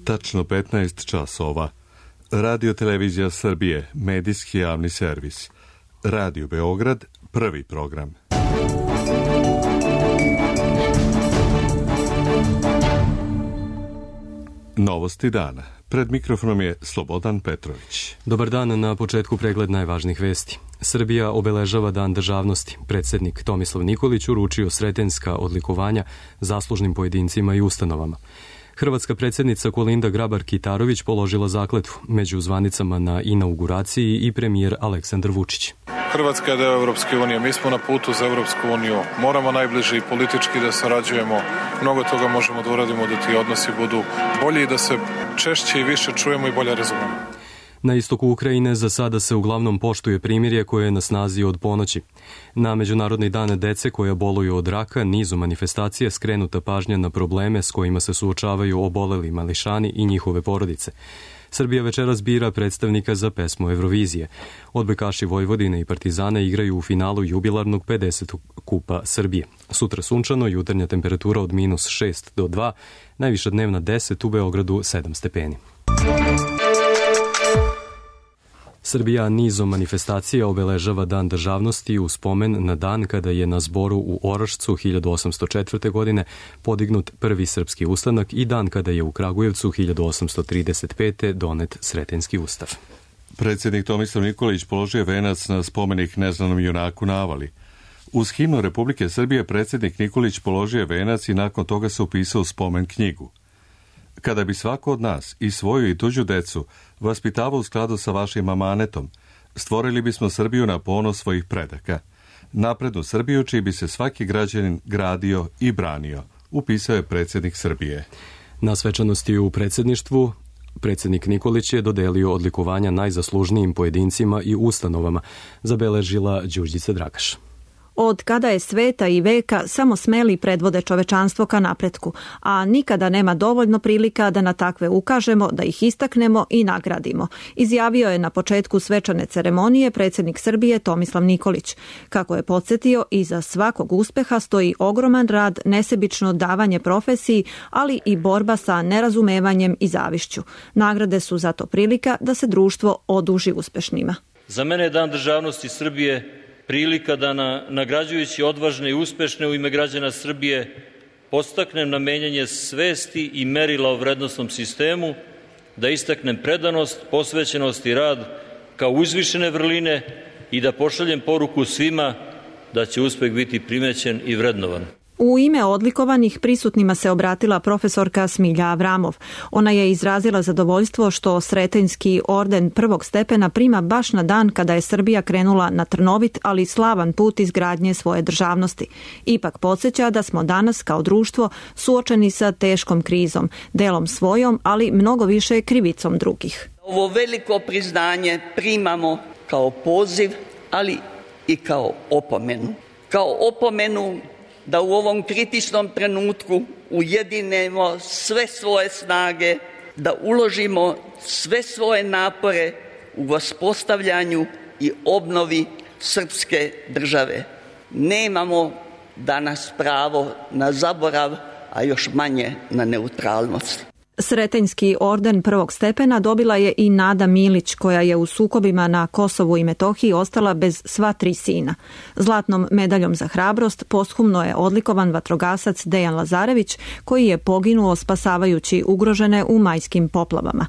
Tačno 15 časova. Radio Televizija Srbije, medijski javni servis. Radio Beograd, prvi program. Novosti dana. Pred mikrofonom je Slobodan Petrović. Dobar dan, na početku pregled najvažnijih vesti. Srbija obeležava Dan državnosti. Predsjednik Tomislav Nikolić uručio sretenjska odlikovanja zaslužnim pojedincima i ustanovama. Hrvatska predsjednica Kolinda Grabar-Kitarović položila zakletvu među zvanicama na inauguraciji i premijer Aleksandar Vučić. Hrvatska je deo Europske unije, mi smo na putu za Europsku uniju, moramo najbliže i politički da sarađujemo, mnogo toga možemo da uradimo da ti odnosi budu bolji i da se češće i više čujemo i bolje razumemo. Na istoku Ukrajine za sada se uglavnom poštuje primirje koje je na snazi od ponoći. Na Međunarodni dan dece koja boluju od raka nizu manifestacija skrenuta pažnja na probleme s kojima se suočavaju oboleli mališani i njihove porodice. Srbija večeras bira predstavnika za pesmu Eurovizije. Odbojkaši Vojvodine i Partizana igraju u finalu jubilarnog 50. kupa Srbije. Sutra sunčano, jutarnja temperatura od -6 do 2, najviša dnevna 10, u Beogradu 7 stepeni. Srbija nizom manifestacija obeležava Dan državnosti u spomen na dan kada je na zboru u Orašcu 1804. godine podignut prvi srpski ustanak i dan kada je u Kragujevcu 1835. donet Sretenjski ustav. Predsjednik Tomislav Nikolić položio venac na spomenik neznanom junaku na Avali. Uz himnu Republike Srbije predsjednik Nikolić položio venac i nakon toga se upisao u spomen knjigu. Kada bi svako od nas i svoju i tuđu decu vaspitavao u skladu sa vašim amanetom, stvorili bismo Srbiju na ponos svojih predaka. Naprednu Srbiju čiji bi se svaki građanin gradio i branio, upisao je predsjednik Srbije. Na svečanosti u predsjedništvu predsjednik Nikolić je dodelio odlikovanja najzaslužnijim pojedincima i ustanovama, zabeležila Đurđica Dragaš. Od kada je sveta i veka samo smeli predvode čovečanstvo ka napretku, a nikada nema dovoljno prilika da na takve ukažemo, da ih istaknemo i nagradimo, izjavio je na početku svečane ceremonije predsjednik Srbije Tomislav Nikolić. Kako je podsjetio, iza svakog uspeha stoji ogroman rad, nesebično davanje profesiji, ali i borba sa nerazumevanjem i zavišću. Nagrade su zato prilika da se društvo oduži uspešnima. Za mene je Dan državnosti Srbije prilika da nagrađujući odvažne i uspešne u ime građana Srbije podstaknem na menjanje svesti i merila o vrednosnom sistemu, da istaknem predanost, posvećenost i rad kao uzvišene vrline i da pošaljem poruku svima da će uspeh biti primećen i vrednovan. U ime odlikovanih prisutnima se obratila profesorka Smilja Avramov. Ona je izrazila zadovoljstvo što Sretenjski orden prvog stepena prima baš na dan kada je Srbija krenula na trnovit, ali slavan put izgradnje svoje državnosti. Ipak podsjeća da smo danas kao društvo suočeni sa teškom krizom, delom svojom, ali mnogo više krivicom drugih. Ovo veliko priznanje primamo kao poziv, ali i kao opomenu. Kao opomenu da u ovom kritičnom trenutku ujedinemo sve svoje snage, da uložimo sve svoje napore u uspostavljanju i obnovi srpske države. Nemamo danas pravo na zaborav, a još manje na neutralnost. Sretenjski orden prvog stepena dobila je i Nada Milić, koja je u sukobima na Kosovu i Metohiji ostala bez sva 3 sina. Zlatnom medaljom za hrabrost posthumno je odlikovan vatrogasac Dejan Lazarević, koji je poginuo spasavajući ugrožene u majskim poplavama.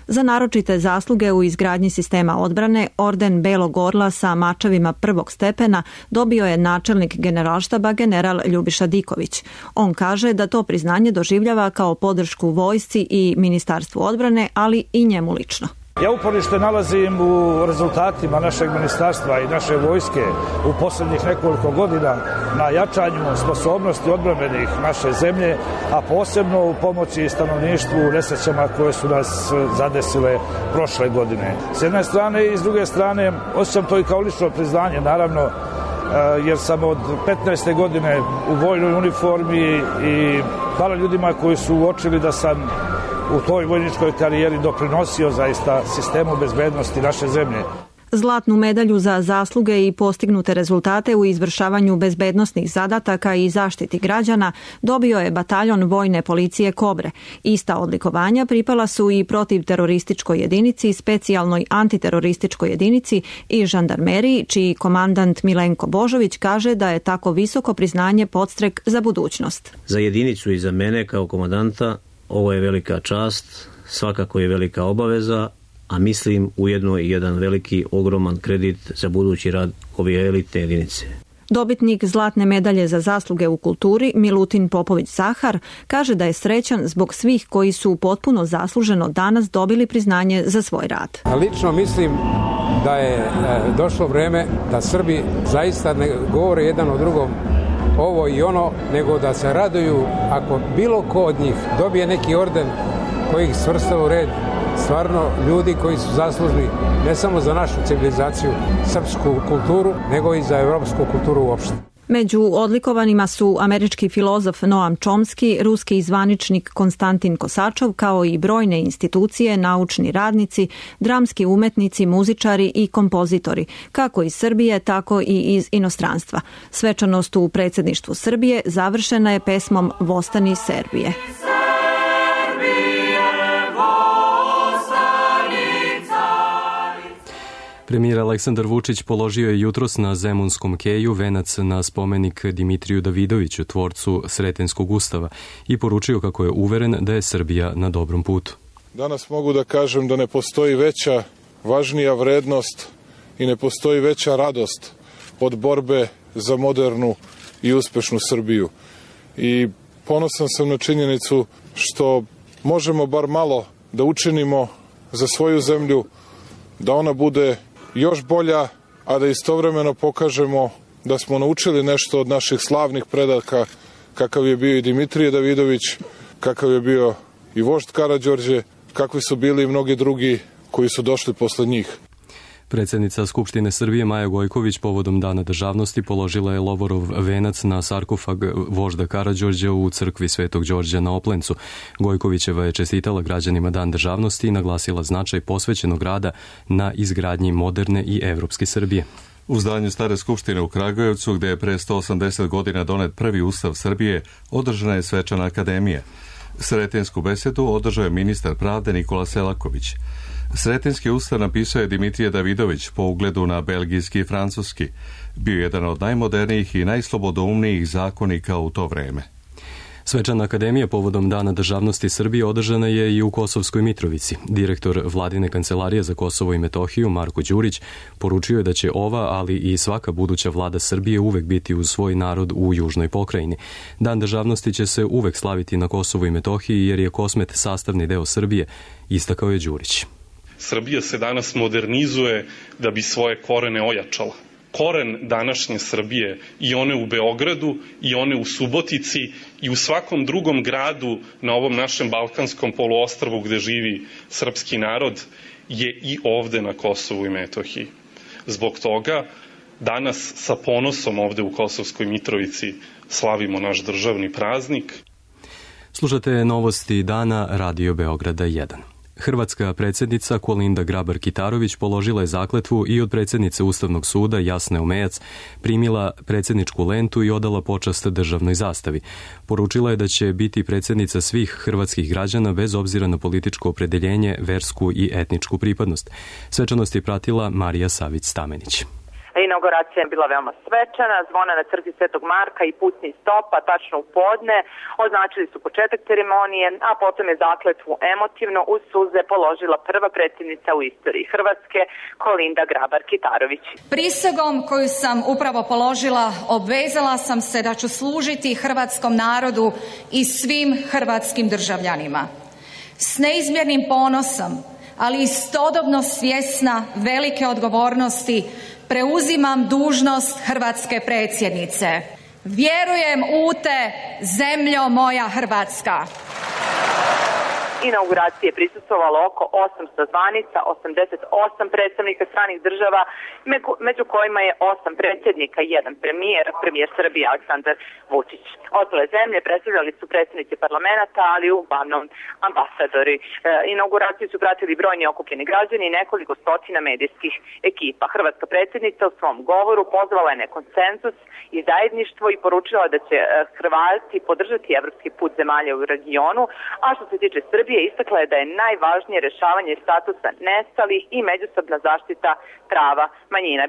Za naročite zasluge u izgradnji sistema odbrane, orden Belog orla sa mačevima prvog stepena dobio je načelnik generalštaba general Ljubiša Diković. On kaže da to priznanje doživljava kao podršku vojsci i Ministarstvu odbrane, ali i njemu lično. Ja uporište nalazim u rezultatima našeg ministarstva i naše vojske u posljednjih nekoliko godina na jačanju sposobnosti odbrambenih naše zemlje, a posebno u pomoći stanovništvu u nesrećama koje su nas zadesile prošle godine. S jedne strane i s druge strane osjećam to i kao lično priznanje, naravno, jer sam od 15. godine u vojnoj uniformi i hvala ljudima koji su uočili da sam u toj vojničkoj karijeri doprinosio zaista sistemu bezbednosti naše zemlje. Zlatnu medalju za zasluge i postignute rezultate u izvršavanju bezbednosnih zadataka i zaštiti građana dobio je bataljon vojne policije Kobre. Ista odlikovanja pripala su i protivterorističkoj jedinici, specijalnoj antiterorističkoj jedinici i žandarmeriji, čiji komandant Milenko Božović kaže da je tako visoko priznanje podstrek za budućnost. Za jedinicu i za mene kao komandanta ovo je velika čast, svakako je velika obaveza, a mislim ujedno i jedan veliki, ogroman kredit za budući rad ove elitne jedinice. Dobitnik zlatne medalje za zasluge u kulturi Milutin Popović-Zahar kaže da je srećan zbog svih koji su potpuno zasluženo danas dobili priznanje za svoj rad. Lično mislim da je došlo vreme da Srbi zaista ne govore jedan o drugom ovo i ono, nego da se raduju ako bilo ko od njih dobije neki orden koji ih svrstava u red, stvarno ljudi koji su zaslužni ne samo za našu civilizaciju, srpsku kulturu, nego i za evropsku kulturu uopšte. Među odlikovanima su američki filozof Noam Chomsky, ruski zvaničnik Konstantin Kosačov, kao i brojne institucije, naučni radnici, dramski umetnici, muzičari i kompozitori, kako iz Srbije, tako i iz inostranstva. Svečanost u predsjedništvu Srbije završena je pesmom Vostani Serbije. Premijer Aleksandar Vučić položio je jutros na Zemunskom keju venac na spomenik Dimitriju Davidoviću, tvorcu Sretenskog ustava, i poručio kako je uveren da je Srbija na dobrom putu. Danas mogu da kažem da ne postoji veća, važnija vrednost i ne postoji veća radost od borbe za modernu i uspešnu Srbiju. I ponosan sam na činjenicu što možemo bar malo da učinimo za svoju zemlju, da ona bude još bolja, a da istovremeno pokažemo da smo naučili nešto od naših slavnih predaka, kakav je bio i Dimitrije Davidović, kakav je bio i vožd Karađorđe, kakvi su bili i mnogi drugi koji su došli posle njih. Predsjednica Skupštine Srbije Maja Gojković povodom Dana državnosti položila je lovorov venac na sarkofag vožda Karađorđa u crkvi Svetog Đorđa na Oplencu. Gojkovićeva je čestitala građanima Dan državnosti i naglasila značaj posvećenog rada na izgradnji moderne i evropske Srbije. U zdanju Stare skupštine u Kragujevcu, gde je pre 180 godina donet prvi ustav Srbije, održana je svečana akademija. Sretensku besedu održao je ministar pravde Nikola Selaković. Sretenski ustav napisao je Dimitrije Davidović po ugledu na belgijski i francuski. Bio jedan od najmodernijih i najslobodoumnijih zakonika u to vreme. Svečana akademija povodom Dana državnosti Srbije održana je i u Kosovskoj Mitrovici. Direktor Vladine kancelarije za Kosovo i Metohiju Marko Đurić poručio je da će ova, ali i svaka buduća vlada Srbije uvek biti uz svoj narod u južnoj pokrajini. Dan državnosti će se uvek slaviti na Kosovu i Metohiji jer je Kosmet sastavni deo Srbije, istakao je Đurić. Srbija se danas modernizuje da bi svoje korene ojačala. Koren današnje Srbije, i one u Beogradu, i one u Subotici, i u svakom drugom gradu na ovom našem balkanskom poluostrvu gde živi srpski narod, je i ovde na Kosovu i Metohiji. Zbog toga danas sa ponosom ovde u Kosovskoj Mitrovici slavimo naš državni praznik. Slušate novosti dana Radio Beograda 1. Hrvatska predsjednica Kolinda Grabar-Kitarović položila je zakletvu i od predsjednice Ustavnog suda Jasne Omejac primila predsjedničku lentu i odala počast državnoj zastavi. Poručila je da će biti predsjednica svih hrvatskih građana bez obzira na političko opredeljenje, versku i etničku pripadnost. Svečanost je pratila Marija Savić-Stamenić. Inauguracija je bila veoma svečana, zvona na crkvi Svetog Marka i pucnji stopa tačno u podne označili su početak ceremonije, a potom je zakletvu emotivno uz suze položila prva predsjednica u istoriji Hrvatske, Kolinda Grabar-Kitarović. Prisegom koju sam upravo položila obvezala sam se da ću služiti hrvatskom narodu i svim hrvatskim državljanima. S neizmjernim ponosom, ali istodobno svjesna velike odgovornosti, preuzimam dužnost hrvatske predsjednice. Vjerujem u te, zemljo moja Hrvatska. inauguracije prisustvovalo oko 800 zvanica, 88 predstavnika stranih država, među kojima je 8 predsjednika i 1 premijer Srbije Aleksandar Vučić. Ostale zemlje predstavljali su predsjednici parlamenta, ali uglavnom ambasadori. Inauguraciju su pratili brojni okupljeni građani i nekoliko stotina medijskih ekipa. Hrvatska predsjednica u svom govoru pozvala je na konsenzus i zajedništvo i poručila da će Hrvati podržati evropski put zemalja u regionu, a što se tiče Srbije istakla je da je najvažnije rješavanje statusa nestalih i međusobna zaštita prava manjina.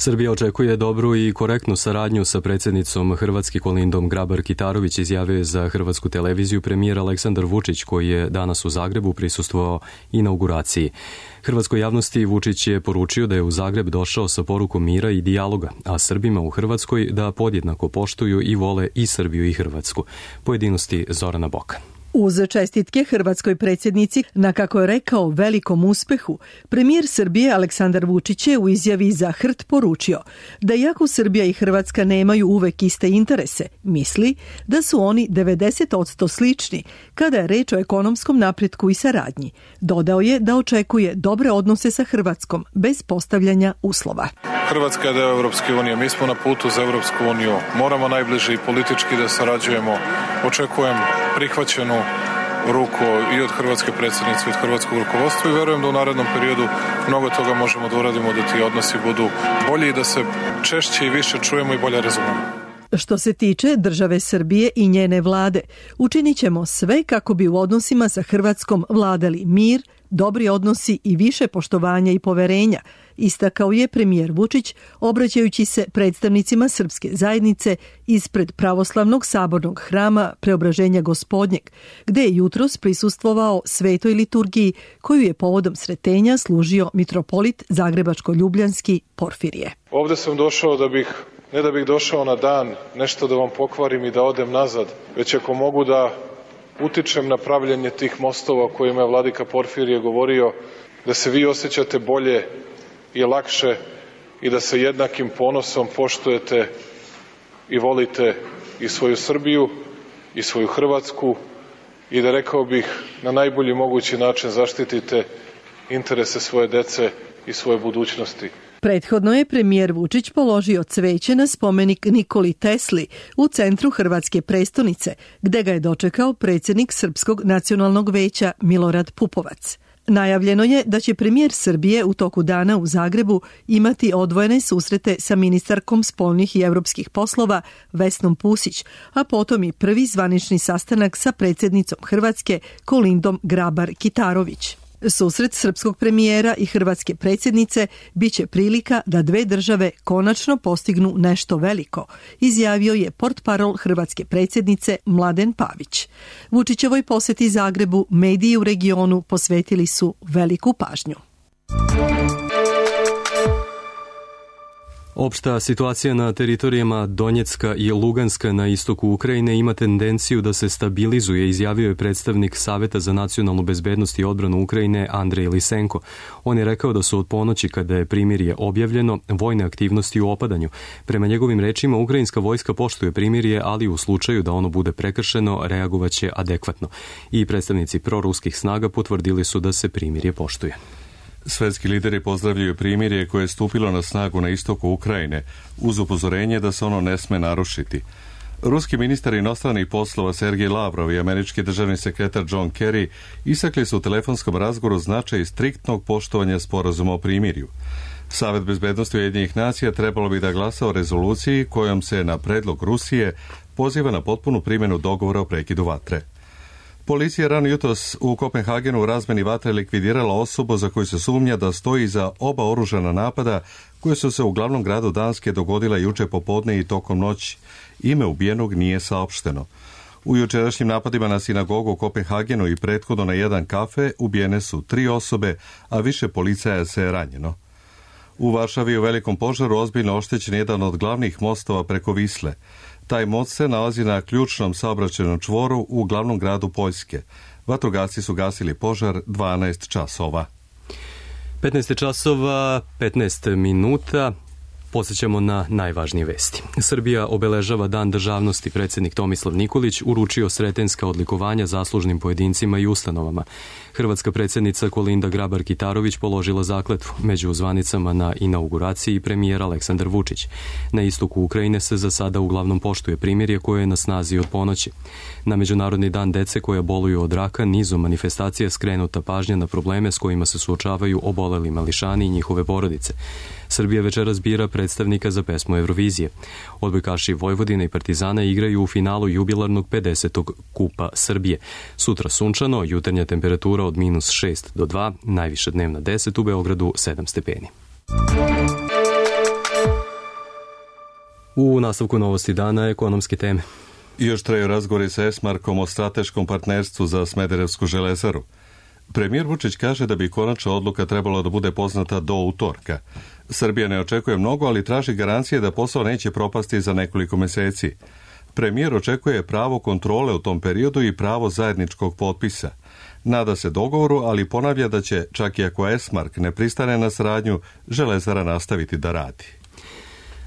Srbija očekuje dobru i korektnu saradnju sa predsjednicom Hrvatske Kolindom Grabar-Kitarović, izjavio je za Hrvatsku televiziju premijer Aleksandar Vučić, koji je danas u Zagrebu prisustvovao inauguraciji. Hrvatskoj javnosti Vučić je poručio da je u Zagreb došao sa porukom mira i dijaloga, a Srbima u Hrvatskoj da podjednako poštuju i vole i Srbiju i Hrvatsku. Pojedinosti Zorana Bokan. Uz čestitke hrvatskoj predsjednici na, kako je rekao, velikom uspehu, premijer Srbije Aleksandar Vučić je u izjavi za HRT poručio da iako Srbija i Hrvatska nemaju uvek iste interese, misli da su oni 90% slični kada je reč o ekonomskom napretku i saradnji. Dodao je da očekuje dobre odnose sa Hrvatskom bez postavljanja uslova. Hrvatska je deo Evropske unije, mi smo na putu za Evropsku uniju, moramo najbliže i politički da sarađujemo. Očekujem prihvaćenu ruku i od hrvatske predsjednice i od hrvatskog rukovodstva i verujem da u narednom periodu mnogo toga možemo da uradimo da ti odnosi budu bolji i da se češće i više čujemo i bolje razumemo. Što se tiče države Srbije i njene vlade, učinit ćemo sve kako bi u odnosima sa Hrvatskom vladali mir, dobri odnosi i više poštovanja i poverenja, istakao je premijer Vučić, obraćajući se predstavnicima srpske zajednice ispred pravoslavnog sabornog hrama Preobraženja Gospodnjeg, gde je jutros prisustvovao svetoj liturgiji koju je povodom sretenja služio mitropolit Zagrebačko-Ljubljanski Porfirije. Ovde sam došao ne da bih došao na dan nešto da vam pokvarim i da odem nazad, već ako mogu da utičem na pravljenje tih mostova o kojima je vladika Porfirije govorio, da se vi osjećate bolje i lakše i da sa jednakim ponosom poštujete i volite i svoju Srbiju i svoju Hrvatsku i da, rekao bih, na najbolji mogući način zaštitite interese svoje dece i svoje budućnosti. Prethodno je premijer Vučić položio cveće na spomenik Nikoli Tesli u centru hrvatske prestonice, gde ga je dočekao predsjednik Srpskog nacionalnog veća Milorad Pupovac. Najavljeno je da će premijer Srbije u toku dana u Zagrebu imati odvojene susrete sa ministarkom spoljnih i evropskih poslova Vesnom Pusić, a potom i prvi zvanični sastanak sa predsjednicom Hrvatske Kolindom Grabar-Kitarović. Susret srpskog premijera i hrvatske predsjednice biće prilika da dve države konačno postignu nešto veliko, izjavio je portparol hrvatske predsjednice Mladen Pavić. Vučićevoj posjeti Zagrebu mediji u regionu posvetili su veliku pažnju. Opšta situacija na teritorijama Donjecka i Luganska na istoku Ukrajine ima tendenciju da se stabilizuje, izjavio je predstavnik Saveta za nacionalnu bezbednost i odbranu Ukrajine Andrej Lisenko. On je rekao da su od ponoći, kada je primirje objavljeno, vojne aktivnosti u opadanju. Prema njegovim rečima, ukrajinska vojska poštuje primirje, ali u slučaju da ono bude prekršeno, reagovaće adekvatno. I predstavnici proruskih snaga potvrdili su da se primirje poštuje. Svetski lideri pozdravljaju primirje koje je stupilo na snagu na istoku Ukrajine, uz upozorenje da se ono ne sme narušiti. Ruski ministar inostranih poslova Sergej Lavrov i američki državni sekretar John Kerry istakli su u telefonskom razgovoru značaj striktnog poštovanja sporazuma o primirju. Savet bezbednosti Ujedinjenih nacija trebalo bi da glasa o rezoluciji kojom se na predlog Rusije poziva na potpunu primjenu dogovora o prekidu vatre. Policija rano jutros u Kopenhagenu u razmeni vatre likvidirala osobu za koju se sumnja da stoji iza oba oružana napada koje su se u glavnom gradu Danske dogodila juče popodne i tokom noći. Ime ubijenog nije saopšteno. U jučerašnjim napadima na sinagogu u Kopenhagenu i prethodno na jedan kafe ubijene su 3 osobe, a više policajaca je ranjeno. U Varšavi u velikom požaru ozbiljno oštećen jedan od glavnih mostova preko Visle. Taj most se nalazi na ključnom saobraćajnom čvoru u glavnom gradu Poljske. Vatrogasci su gasili požar 12 časova. 15 časova, 15 minuta. Podsjećamo na najvažnije vesti. Srbija obeležava Dan državnosti. Predsjednik Tomislav Nikolić uručio sretenska odlikovanja zaslužnim pojedincima i ustanovama. Hrvatska predsjednica Kolinda Grabar-Kitarović položila zakletvu. Među zvanicama na inauguraciji premijer Aleksandar Vučić. Na istoku Ukrajine se za sada uglavnom poštuje primirje koje je na snazi od ponoći. Na Međunarodni dan dece koja boluju od raka nizom manifestacija skrenuta pažnja na probleme s kojima se suočavaju oboleli mališani i njihove porodice. Srbija večeras bira predstavnika za pesmu Eurovizije. Odbojkaši Vojvodine i Partizana igraju u finalu jubilarnog 50. Kupa Srbije. Sutra sunčano, jutarnja temperatura od -6 do 2, najviša dnevna 10, u Beogradu 7 stepeni. U nastavku novosti dana ekonomske teme. Još traju razgovori sa Esmarkom o strateškom partnerstvu za Smederevsku železaru. Premijer Vučić kaže da bi konačna odluka trebala da bude poznata do utorka. Srbija ne očekuje mnogo, ali traži garancije da posao neće propasti za nekoliko meseci. Premijer očekuje pravo kontrole u tom periodu i pravo zajedničkog potpisa. Nada se dogovoru, ali ponavlja da će, čak i ako Esmark ne pristane na saradnju, železara nastaviti da radi.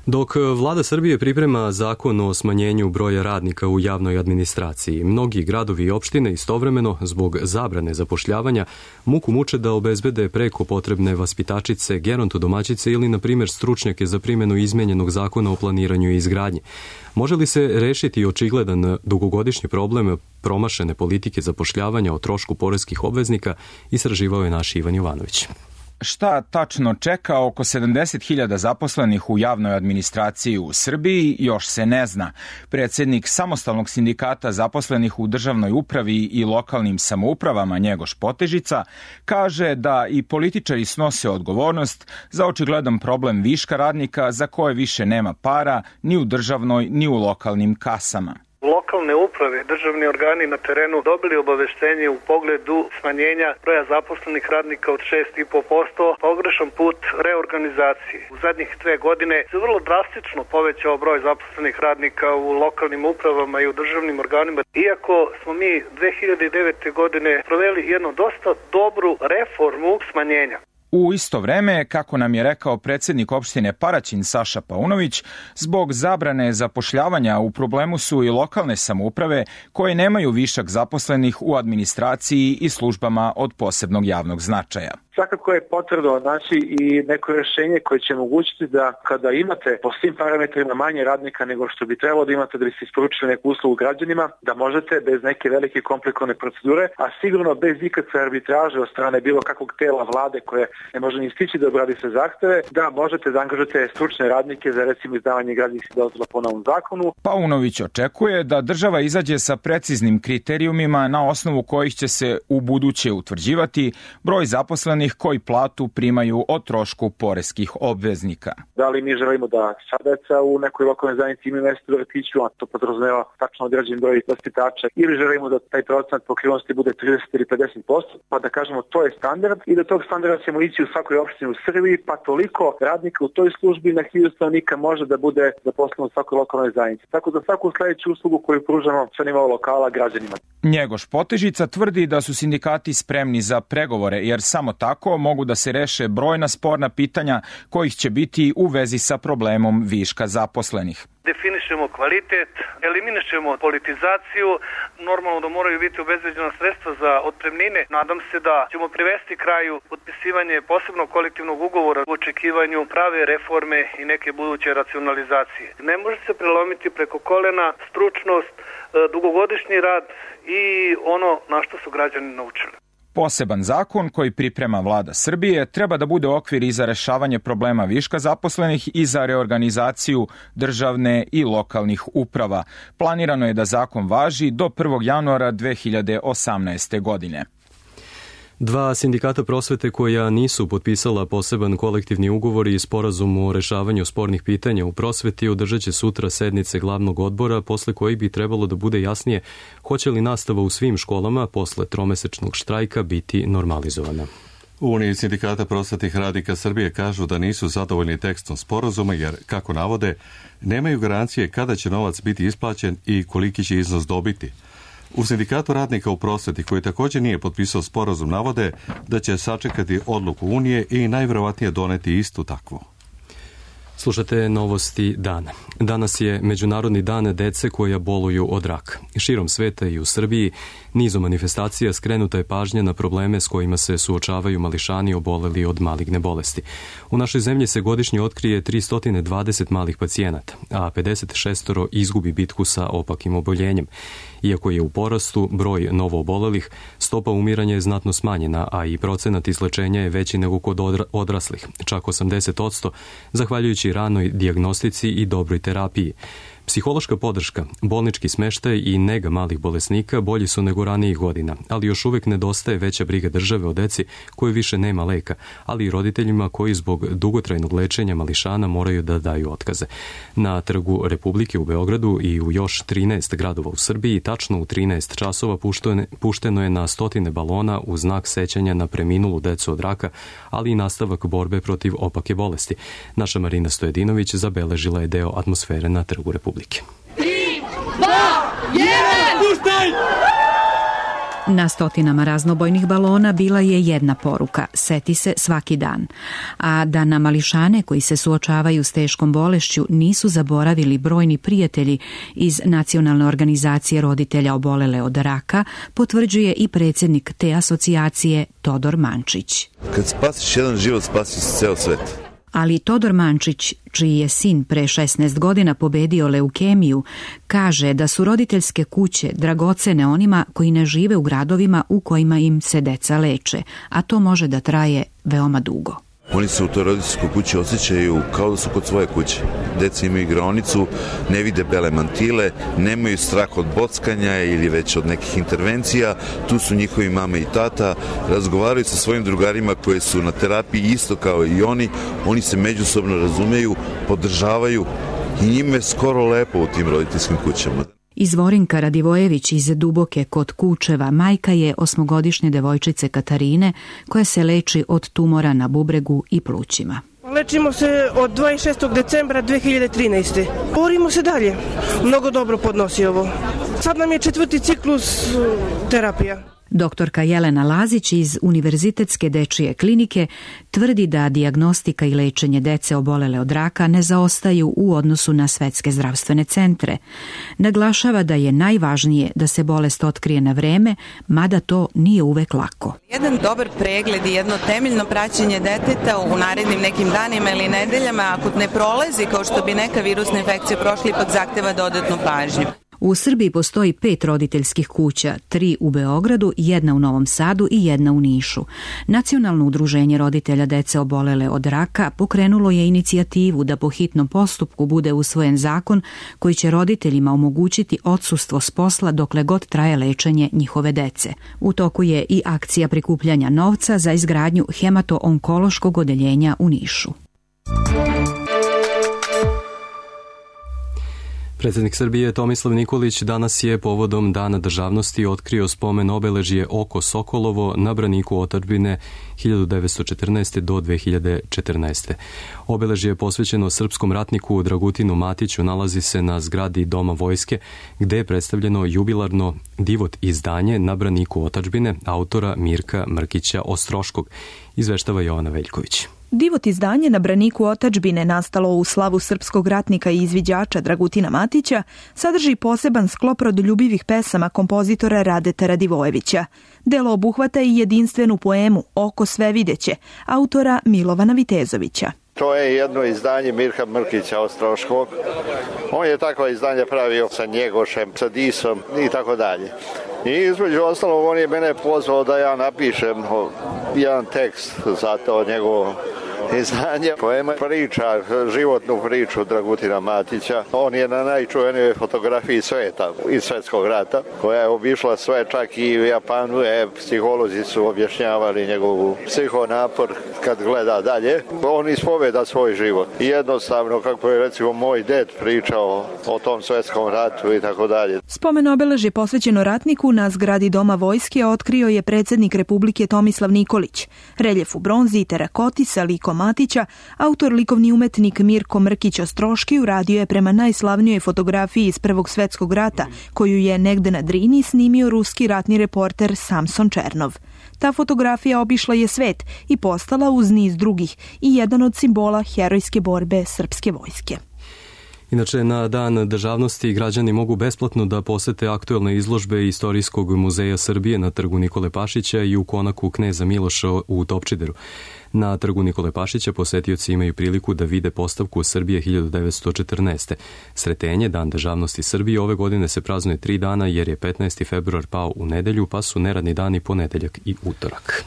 Dok vlada Srbije priprema zakon o smanjenju broja radnika u javnoj administraciji, mnogi gradovi i opštine istovremeno, zbog zabrane zapošljavanja, muku muče da obezbede preko potrebne vaspitačice, gerontodomaćice ili, na primjer, stručnjake za primjenu izmenjenog zakona o planiranju i izgradnji. Može li se rešiti očigledan dugogodišnji problem promašene politike zapošljavanja o trošku poreskih obveznika, istraživao je naš Ivan Jovanović. Šta tačno čeka oko 70.000 zaposlenih u javnoj administraciji u Srbiji još se ne zna. Predsjednik samostalnog sindikata zaposlenih u državnoj upravi i lokalnim samoupravama Njegoš Potežica kaže da i političari snose odgovornost za očigledan problem viška radnika za koje više nema para ni u državnoj ni u lokalnim kasama. Lokalne uprave, državni organi na terenu dobili obaveštenje u pogledu smanjenja broja zaposlenih radnika od 6,5%, pogrešan put reorganizacije. U zadnjih 2 godine se vrlo drastično povećao broj zaposlenih radnika u lokalnim upravama i u državnim organima. Iako smo mi 2009. godine proveli jednu dosta dobru reformu smanjenja. U isto vreme, kako nam je rekao predsjednik opštine Paraćin Saša Paunović, zbog zabrane zapošljavanja u problemu su i lokalne samouprave koje nemaju višak zaposlenih u administraciji i službama od posebnog javnog značaja. Svakako je potrebno naći i neko rješenje koje će omogućiti da kada imate po svim parametrima manje radnika nego što bi trebalo da imate da bi se isporučili neku uslugu građanima, da možete bez neke velike komplikovane procedure, a sigurno bez ikakve arbitraže od strane bilo kakvog tela vlade koje ne može ni stići da obradi sve zahteve, da možete da angažujete stručne radnike za recimo izdavanje građevinskih dozvola po novom zakonu. Paunović očekuje da država izađe sa preciznim kriterijumima na osnovu kojih će se u buduće utvrđivati broj zaposlenih koji platu primaju o trošku poreskih obveznika. Da li mi želimo da sva deca u nekoj lokalnoj zajednici imaju mesto u vrtiću, a to podrazumeva tačno određen broj vaspitača, ili želimo da taj procenat pokrivenosti bude 30 ili 50%, pa da kažemo to je standard i do tog standarda ćemo ići u svakoj opštini u Srbiji, pa toliko radnika u toj službi na 1000 stanovnika može da bude zaposleno u svakoj lokalnoj zajednici. Tako za svaku sledeću uslugu koju pružamo sa nivoa lokala građanima. Njegoš Potežica tvrdi da su sindikati spremni za pregovore, jer samo tako mogu da se reše brojna sporna pitanja kojih će biti u vezi sa problemom viška zaposlenih. Definišemo kvalitet, eliminišemo politizaciju, normalno da moraju biti obezbeđena sredstva za otpremnine. Nadam se da ćemo privesti kraju potpisivanje posebnog kolektivnog ugovora u očekivanju prave reforme i neke buduće racionalizacije. Ne može se prelomiti preko kolena stručnost, dugogodišnji rad i ono na što su građani naučili. Poseban zakon koji priprema vlada Srbije treba da bude okvir i za rešavanje problema viška zaposlenih i za reorganizaciju državne i lokalnih uprava. Planirano je da zakon važi do 1. januara 2018. godine. Dva sindikata prosvete koja nisu potpisala poseban kolektivni ugovor i sporazum o rešavanju spornih pitanja u prosveti održat će sutra sednice glavnog odbora, posle kojih bi trebalo da bude jasnije hoće li nastava u svim školama posle tromesečnog štrajka biti normalizovana. U Uniji sindikata prosvetnih radnika Srbije kažu da nisu zadovoljni tekstom sporazuma jer, kako navode, nemaju garancije kada će novac biti isplaćen i koliki će iznos dobiti. U sindikatu radnika u prosveti, koji također nije potpisao sporazum, navode da će sačekati odluku Unije i najverovatnije doneti istu takvu. Slušate novosti dana. Danas je Međunarodni dan dece koja boluju od raka. Širom sveta i u Srbiji nizom manifestacija skrenuta je pažnja na probleme s kojima se suočavaju mališani oboleli od maligne bolesti. U našoj zemlji se godišnje otkrije 320 malih pacijenata, a 56 izgubi bitku sa opakim oboljenjem. Iako je u porastu broj novoobolelih, stopa umiranja je znatno smanjena, a i procenat izlečenja je veći nego kod odraslih, čak 80%, zahvaljujući ranoj dijagnostici i dobroj terapiji. Psihološka podrška, bolnički smeštaj i nega malih bolesnika bolji su nego ranijih godina, ali još uvijek nedostaje veća briga države o deci koje više nema leka, ali i roditeljima koji zbog dugotrajnog lečenja mališana moraju da daju otkaze. Na Trgu Republike u Beogradu i u još 13 gradova u Srbiji tačno u 13 časova pušteno je na stotine balona u znak sećanja na preminulu decu od raka, ali i nastavak borbe protiv opake bolesti. Naša Marina Stojedinović zabeležila je deo atmosfere na Trgu Republike. 3, 2, 1, puštaj! Na stotinama raznobojnih balona bila je jedna poruka: seti se svaki dan. A da na mališane koji se suočavaju s teškom bolešću nisu zaboravili brojni prijatelji iz Nacionalne organizacije roditelja obolele od raka, potvrđuje i predsjednik te asocijacije Todor Mančić. Kad spasiš jedan život, spasiš ceo svet. Ali Todor Mančić, čiji je sin pre 16 godina pobedio leukemiju, kaže da su roditeljske kuće dragocene onima koji ne žive u gradovima u kojima im se deca leče, a to može da traje veoma dugo. Oni se u toj roditeljskoj kući osjećaju kao da su kod svoje kuće. Deca imaju igraonicu, ne vide bele mantile, nemaju strah od bockanja ili već od nekih intervencija. Tu su njihovi mama i tata, razgovaraju sa svojim drugarima koji su na terapiji isto kao i oni se međusobno razumeju, podržavaju i njima je skoro lepo u tim roditeljskim kućama. Izvorinka Radivojević iz Duboke kod Kučeva majka je 8-godišnje devojčice Katarine koja se leči od tumora na bubregu i plućima. Lečimo se od 26. decembra 2013. Borimo se dalje. Mnogo dobro podnosi ovo. Sad nam je 4. ciklus terapija. Doktorka Jelena Lazić iz Univerzitetske dečije klinike tvrdi da dijagnostika i lečenje dece obolele od raka ne zaostaju u odnosu na svetske zdravstvene centre. Naglašava da je najvažnije da se bolest otkrije na vreme, mada to nije uvek lako. Jedan dobar pregled i jedno temeljno praćenje deteta u narednim nekim danima ili nedeljama, ako ne prolazi kao što bi neka virusna infekcija prošla, ipak zahteva dodatnu pažnju. U Srbiji postoji 5 roditeljskih kuća, 3 u Beogradu, 1 u Novom Sadu i 1 u Nišu. Nacionalno udruženje roditelja dece obolele od raka pokrenulo je inicijativu da po hitnom postupku bude usvojen zakon koji će roditeljima omogućiti odsustvo s posla dokle god traje lečenje njihove dece. U toku je i akcija prikupljanja novca za izgradnju hemato-onkološkog odeljenja u Nišu. Predsjednik Srbije Tomislav Nikolić danas je povodom Dana državnosti otkrio spomen obeležje Oko Sokolovo na braniku otadžbine 1914. do 2014. Obeležje je posvećeno srpskom ratniku Dragutinu Matiću, nalazi se na zgradi Doma vojske, gde je predstavljeno jubilarno divot izdanje na braniku otadžbine autora Mirka Mrkića Ostroškog, izveštava Jovana Veljković. Divot izdanje na braniku otadžbine, nastalo u slavu srpskog ratnika i izviđača Dragutina Matića, sadrži poseban sklop rodoljubivih pesama kompozitora Radeta Radivojevića. Delo obuhvata i jedinstvenu poemu Oko svevideće, autora Milovana Vitezovića. To je jedno izdanje Mirka Mrkića Ostroškog. On je takva izdanja pravio sa Njegošem, sa Disom i tako dalje. I između ostalog on je mene pozvao da ja napišem jedan tekst za to njegovo izdanje. Poema priča, životnu priču Dragutina Matića. On je na najčuvenijoj fotografiji sveta iz Svetskog rata, koja je obišla sve, čak i u Japanu. Psiholozi su objašnjavali njegovu psihonapor kad gleda dalje. On ispoveda svoj život. I jednostavno, kako je recimo moj ded pričao o tom Svetskom ratu i tako dalje. Spomen obeležje posvećeno ratniku na zgradi Doma vojske otkrio je predsjednik Republike Tomislav Nikolić. Reljef u bronzi i terakoti sa likom Matića, autor likovni umetnik Mirko Mrkić Ostroški uradio je prema najslavnijoj fotografiji iz Prvog svjetskog rata, koju je negde na Drini snimio ruski ratni reporter Samson Černov. Ta fotografija obišla je svet i postala uz niz drugih i jedan od simbola herojske borbe srpske vojske. Inače, na Dan državnosti građani mogu besplatno da posete aktuelne izložbe Istorijskog muzeja Srbije na trgu Nikole Pašića i u konaku Kneza Miloša u Topčideru. Na trgu Nikole Pašića posetioci imaju priliku da vide postavku Srbije 1914. Sretenje, Dan državnosti Srbije, ove godine se praznuje 3 dana jer je 15. februar pao u nedelju, pa su neradni dani ponedeljak i utorak.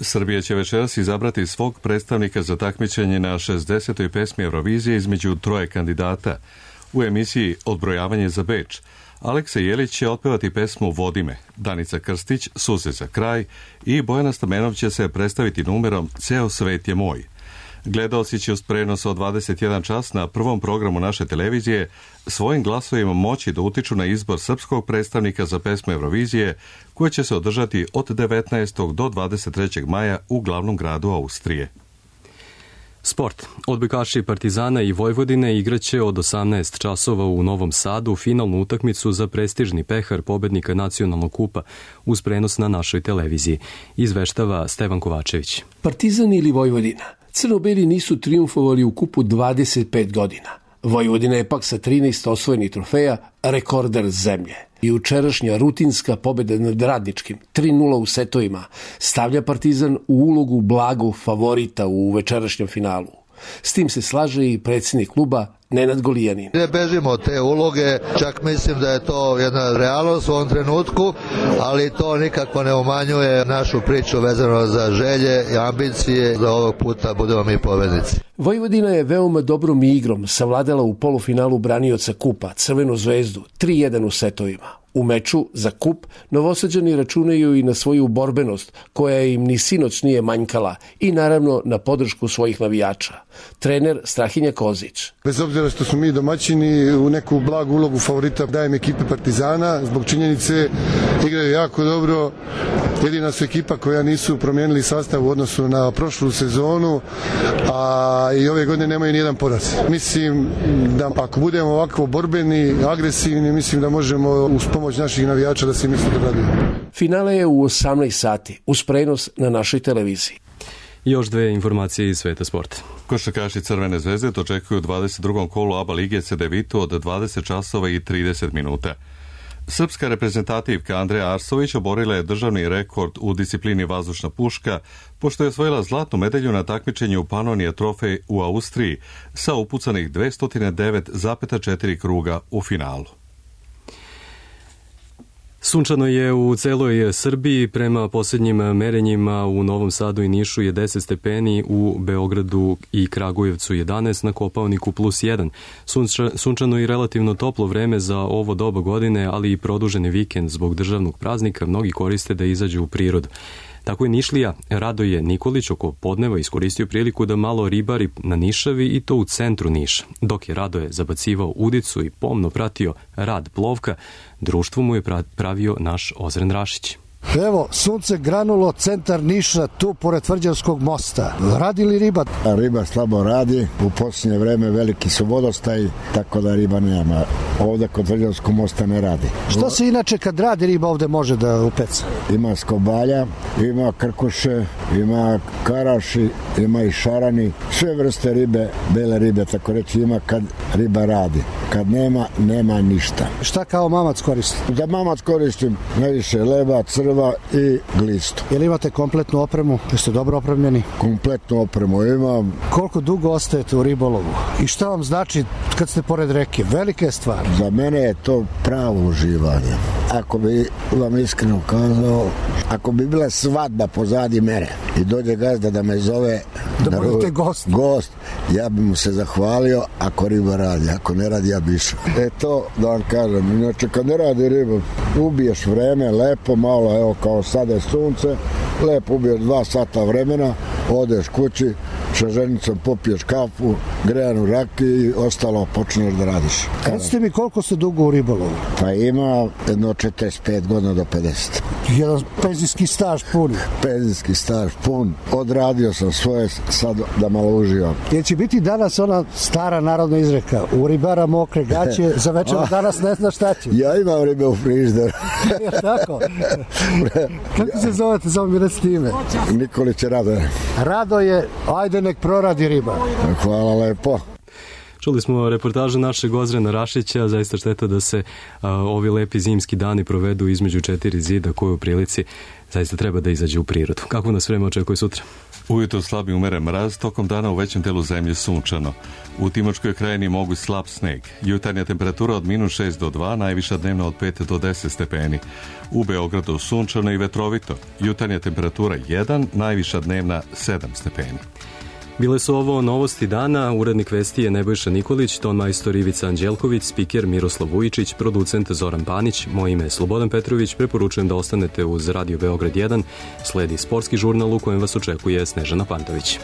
Srbija će večeras izabrati svog predstavnika za takmičenje na 60. pesmi Eurovizije između 3 kandidata. U emisiji Odbrojavanje za Beč Aleksa Jelić će otpevati pesmu Vodi me, Danica Krstić Suze za kraj i Bojana Stamenov će se predstaviti numerom Ceo svet je moj. Gledaoci će uz prenos od 21 čas na prvom programu naše televizije svojim glasovima moći da utiču na izbor srpskog predstavnika za pesmu Eurovizije koja će se održati od 19. do 23. maja u glavnom gradu Austrije. Sport. Odbojkaši Partizana i Vojvodine igraće od 18 časova u Novom Sadu finalnu utakmicu za prestižni pehar pobednika nacionalnog kupa uz prenos na našoj televiziji. Izveštava Stevan Kovačević. Partizan ili Vojvodina? Crno-beli nisu trijumfovali u kupu 25 godina. Vojvodina je pak sa 13 osvojenih trofeja rekorder zemlje. Jučerašnja rutinska pobjeda nad Radničkim 3:0 u setovima stavlja Partizan u ulogu blagog favorita u večerašnjem finalu. S tim se slaže i predsjednik kluba Nenad Golijanin. Ne bežimo od te uloge, čak mislim da je to jedna realnost u ovom trenutku, ali to nikako ne umanjuje našu priču vezano za želje i ambicije da ovog puta budemo mi pobednici. Vojvodina je veoma dobrom igrom savladala u polufinalu branioca kupa Crvenu zvezdu 3:1 u setovima. U meču za kup Novosađani računaju i na svoju borbenost koja im ni sinoć nije manjkala i naravno na podršku svojih navijača. Trener Strahinja Kozić. Bez obzira što smo mi domaćini, u neku blagu ulogu favorita dajem ekipe Partizana, zbog činjenice igraju jako dobro. Jedina su ekipa koja nisu promijenili sastav u odnosu na prošlu sezonu, a i ove godine nemaju nijedan poraz. Mislim da ako budemo ovako borbeni, agresivni, mislim da možemo uz pomoć naših navijača da se mi sutra radimo. Finale je u 18 sati, uz prenos na našoj televiziji. Još 2 informacije iz sveta sporta. Košarkaši Crvene zvezde dočekuju u 22. kolu ABA lige CDVitu od 20 časova i 30 minuta. Srpska reprezentativka Andreja Arsović oborila je državni rekord u disciplini vazdušna puška, pošto je osvojila zlatnu medalju na takmičenju Panonija trofej u Austriji sa upucanih 209,4 kruga u finalu. Sunčano je u celoj Srbiji, prema posljednjim merenjima u Novom Sadu i Nišu je 10 stepeni, u Beogradu i Kragujevcu 11, na Kopaoniku +1. Sunčano i relativno toplo vreme za ovo doba godine, ali i produženi vikend zbog državnog praznika mnogi koriste da izađu u prirodu. Tako je Nišlija Radoje Nikolić oko podneva iskoristio priliku da malo ribari na Nišavi i to u centru Niša. Dok je Radoje zabacivao udicu i pomno pratio rad plovka, društvo mu je pravio naš Ozren Rašić. Evo, sunce granulo, centar Niša, tu pored Tvrđavskog mosta. Radi li riba? Riba slabo radi, u posljednje vreme veliki su vodostaj, tako da riba nema. Ovdje kod Tvrđavskog mosta ne radi. Što se inače kad radi riba ovdje može da upeca? Ima skobalja, ima krkuše, ima karaši, ima i šarani, sve vrste ribe, bele ribe, tako reći, ima kad riba radi. Kad nema, nema ništa. Šta kao mamac koristite? Za mamac koristim najviše leba, crva i glistu. Jel imate kompletnu opremu? Jeste dobro opremljeni? Kompletnu opremu imam. Koliko dugo ostajete u ribolovu? I šta vam znači kad ste pored reke? Velika je stvar. Za mene je to pravo uživanje. Ako bi vam iskreno kazao, ako bi bila svadba pozadi mene i dođe gazda da me zove da budete gost, ja bi mu se zahvalio ako riba radi. Ako ne radi, ja bi išao. To da vam kažem. Inače, kad ne radi riba, ubiješ vreme, lepo, malo, evo kao sada je sunce, lepo ubiješ 2 sata vremena, odeš kući, sa ženicom popiješ kafu, grejanu rakiju i ostalo počneš da radiš. Recite mi koliko ste dugo u ribolovu? Pa ima jedno 45 godina do 50. Jedan penzijski staž pun. Penzijski staž pun. Odradio sam svoje, sad da malo uživam. Jer će biti danas ona stara narodna izreka, u ribara mokre gaće, za večer danas ne zna šta će. Ja imam ribe u frižderu. Tako? Kako se zovete, samo mi recite ime? Nikolić Radoje. Radoje, ajde nek proradi riba. Hvala lepo. Čuli smo reportažu našeg Ozrena Rašića, zaista šteta da se ovi lepi zimski dani provedu između 4 zida, koji u prilici zaista treba da izađe u prirodu. Kako nas vreme očekuje sutra? Ujutro slabi umeren mraz, tokom dana u većem delu zemlje sunčano. U Timočkoj krajini mogu slab sneg. Jutarnja temperatura od -6 do 2, najviša dnevna od 5 do 10 stepeni. U Beogradu sunčano i vetrovito. Jutarnja temperatura 1, najviša dnevna 7 stepeni. Bile su ovo novosti dana, urednik vesti je Nebojša Nikolić, ton majstor Ivica Anđelković, spiker Miroslav Vujičić, producent Zoran Panić, moje ime je Slobodan Petrović, preporučujem da ostanete uz Radio Beograd 1, sledi sportski žurnal u kojem vas očekuje Snežana Pantović.